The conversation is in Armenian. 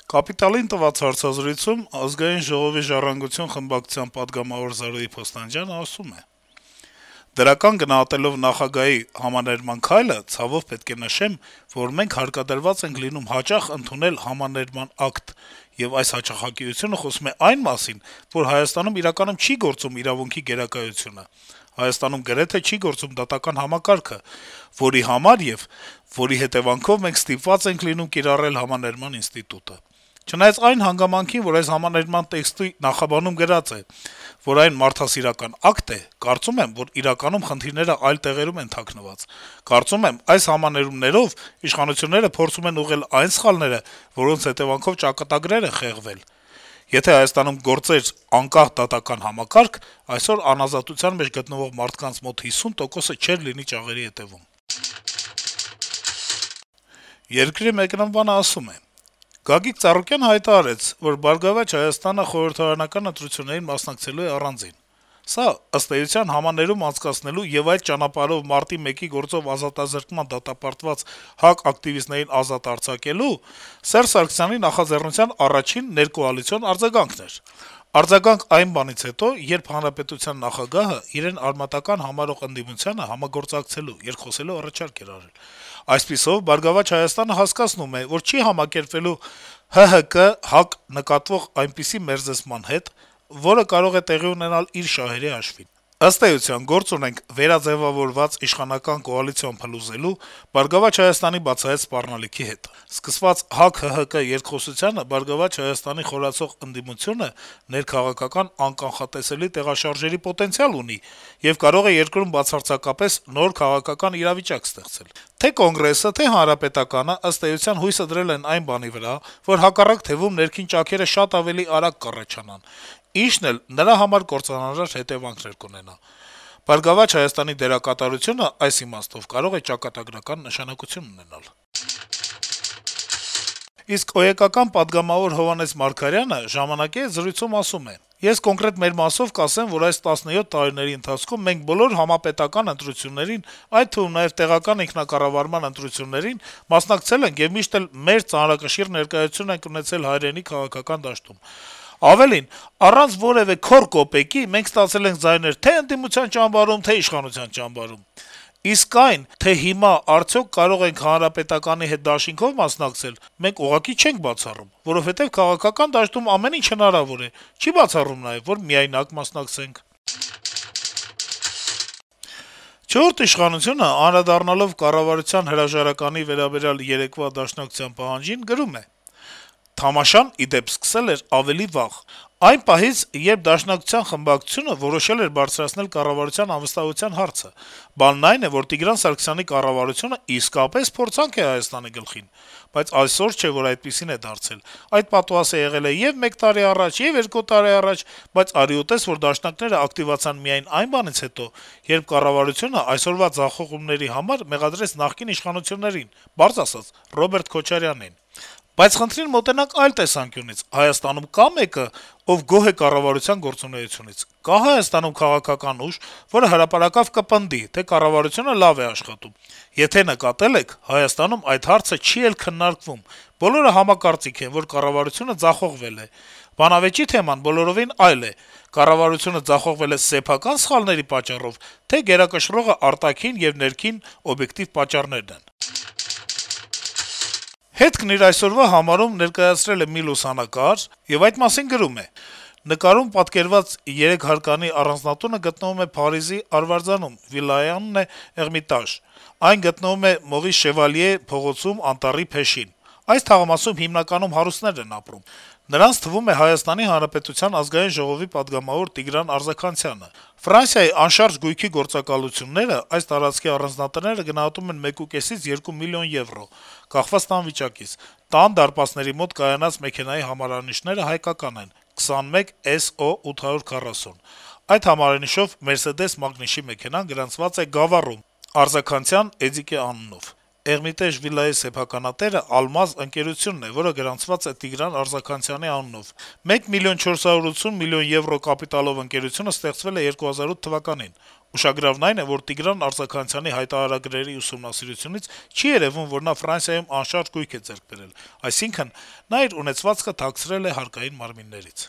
Կապիտալին տված հարցազրույցում Ազգային ժողովի «Ժառանգություն» խմբակցության պատգամավոր Զարուհի Փոստանջյանը ասում է. - «Դրական գնահատելով նախագահի համաներման քայլը, ցավով պետք է նշեմ, որ մենք հարկադրված ենք լինում հաճախ ընդունել համաներման ակտ, եւ այս հաճախակիությունը խոսում է այն մասին, որ Հայաստանում իրականում չի գործում իրավունքի գերակայությունը: Հայաստանում գրեթե չի գործում դատական համակարգը, որի համար եւ որի հետեւանքով մենք ստիպված ենք լինում կիրառել համաներման ինստիտուտը: Չնայած այն հանգամանքին, որ այս համաներման տեքստի նախաբանում գրած է, որ այն մարդասիրական ակտ է, կարծում եմ, որ իրականում խնդիրները այլ տեղերում են թաքնված: Կարծում եմ, այս համաներումներով իշխանությունները փորձում են ուղղել այն սխալները, որոնց հետեւանքով ճակատագրեր են խեղվել: Եթե Հայաստանում գործեր անկախ դատական համակարգ, այսօր անազատության մեջ գտնվող մարդկանց մոտ 50%-ը չէր լինի ճաղերի հետեւում»: «Երկիր» թերթի մեկնաբանը ասում է. - «Գագիկ Ծառուկյանը հայտարարեց, որ «Բարգավաճ Հայաստանը» խորհրդարանական ընտրություններին մասնակցելու է առանձին: Սա, ըստ էության, համաներում անցկացնելու եւ այդ ճանապարհով մարտի 1-ի գործով ազատազրկման դատապարտված ՀԱԿ ակտիվիստներին ազատ արձակելու Սերժ Սարգսյանի նախաձեռնության առաջին ներկոալիցիոն արձագանքն էր: Արձագանք այն բանից հետո, երբ հանրապետության նախագահը իրեն արմատական համարող ընդդիմությանը համագործակցելու, երկխոսելու առաջարկ էր արել: Այսպիսով, «Բարգավաճ Հայաստանը» հասկացնում է, որ չի համակերպվելու ՀՀԿ-ՀԱԿ նկատվող այնպիսի մերձեցման հետ, որը կարող է տեղի ունենալ իր շահերի հաշվին: Ըստ էության, գործ ունենք վերաձեւավորված իշխանական կոալիցիոն փլուզելու, «Բարգավաճ Հայաստանի» բացահայտ սպառնալիքի հետ: Սկսված ՀԱԿ-ՀՀԿ երկխոսությանը «Բարգավաճ Հայաստանի» խորացող ընդդիմությունը ներքաղաքական անկանխատեսելի տեղաշարժերի պոտենցիալ ունի եւ կարող է երկրում բացարձակապես նոր քաղաքական իրավիճակ ստեղծել: Թե' Կոնգրեսը, թե' Հանրապետականը, ըստ էության, հույսը դրել են այն բանի վրա, որ հակառակ թեւում ներքին ճաքերը շատ ավելի արագ կառաջանան, ինչն էլ նրա համար կործանարար հետեւանքներ կունենա: «Բարգավաճ Հայաստանի» դերակատարությունը, այս իմաստով, կարող է ճակատագրական նշանակություն ունենալ»: Իսկ ՕԵԿ-ական պատգամավոր Հովհաննես Մարգարյանը «Ժամանակ»-ի հետ զրույցում ասում է. - «Ես կոնկրետ մեր մասով կասեմ, որ այս 17 տարիների ընթացքում մենք բոլոր համապետական ընտրություններին, այդ թվում նաեւ տեղական ինքնակառավարման ընտրություններին մասնակցել ենք եւ միշտ էլ մեր ծանրակշիռ ներկայություն ենք ունեցել հայրենի քաղաքական դաշտում: Ավելին, առանց որեւէ «քոռ կոպեկի» մենք ստացել ենք ձայներ թե' ընդդիմության ճամբարում, թե' իշխանության ճամբարում: Իսկ այն, թե հիմա արդյոք կարող ենք Հանրապետականի հետ դաշինքով մասնակցել, մենք ուղղակի չենք բացառում, որովհետեւ քաղաքական դաշտում ամեն ինչ հնարավոր է, չի բացառվում նաեւ, որ միայնակ մասնակցենք»: «Չորրորդ ինքնիշխանություն»-ը, անդրադառնալով կառավարության հրաժարականի վերաբերյալ երեկվա Դաշնակցության պահանջին, գրում է. - «Թամաշան, ի դեպ, սկսել էր ավելի վաղ: Այն պահից, երբ Դաշնակցության խմբակցությունը որոշել էր բարձրացնել կառավարության անվստահության հարցը: Բանն այն է, որ Տիգրան Սարգսյանի կառավարությունը իսկապես փորձանք է Հայաստանի գլխին: Բայց այսօր չէ, որ այդպիսին է դարձել: Այդ պատուհասը եղել է ե'ւ 1 տարի առաջ, ե'ւ 2 տարի առաջ, բայց արի ու տես, որ դաշնակիցները ակտիվացան միայն այն բանից հետո, երբ կառավարությունը այսօրվա ձախողումների համար մեղադրեց նախկին իշխանություններին, պարզ ասած` Ռոբերտ Քոչարյանին: Բայց խնդրին մոտենանք այլ տեսանկյունից. Հայաստանում կա՞ մեկը, ով գոհ է կառավարության գործունեությունից: Կա՞ Հայաստանում քաղաքական ուժ, որը հրապարակավ կպնդի, թե կառավարությունը լավ է աշխատում: Եթե նկատել եք, Հայաստանում այդ հարցը չի էլ քննարկվում: Բոլորը համակարծիք են, որ կառավարությունը ձախողվել է: Բանավեճի թեման բոլորովին այլ է. կառավարությունը ձախողվել է սեփական սխալների պատճառով, թե գերակշռողը արտաքին եւ ներքին օբյեկտիվ պատճառներն են»: «Հետք»-ն իր այսօրվա համարում ներկայացրել է մի լուսանկար եւ այդ մասին գրում է. - «Նկարում պատկերված 3 հարկանի առանձնատունը գտնվում է Փարիզի Արվարձանում, վիլայանն է Էրմիտաժ: Այն գտնվում է Մորիս Շևալիե փողոցում, Անտառի փեշին: Այս թաղամասում հիմնականում հարուստներ են ապրում: Նրանց թվում է Հայաստանի Հանրապետության Ազգային ժողովի պատգամավոր Տիգրան Արձաքանցյանը: Ֆրանսիայի անշարժ գույքի գործակալությունները այս տարածքի առանձնատները գնահատում են 1,5-ից 2 միլիոն եվրո, կախված տան վիճակից: Տան դարպասների մոտ կայանած մեքենայի համարանիշները հայկական են` 21 SO 840: Այդ համարանիշով «Մերսեդես» մագնիշի մեքենան գրանցված է Գավառում, Արձաքանցյան Էդիկե անունով: Էրմիտեժ վիլայի սեփականատերը «Ալմազ» ընկերությունն է, որը գրանցված է Տիգրան Արձաքանցյանի անունով: 1 միլիոն 480 միլիոն եվրո կապիտալով ընկերությունը ստեղծվել է 2008 թվականին: Ուշագրավն այն է, որ Տիգրան Արձաքանցյանի հայտարարագրերի ուսումնասիրությունից չի երեւում, որ նա Ֆրանսիայում անշարժ գույք է ձեռք բերել, այսինքն` նա իր ունեցվածքը թաքցրել է հարկային մարմիններից: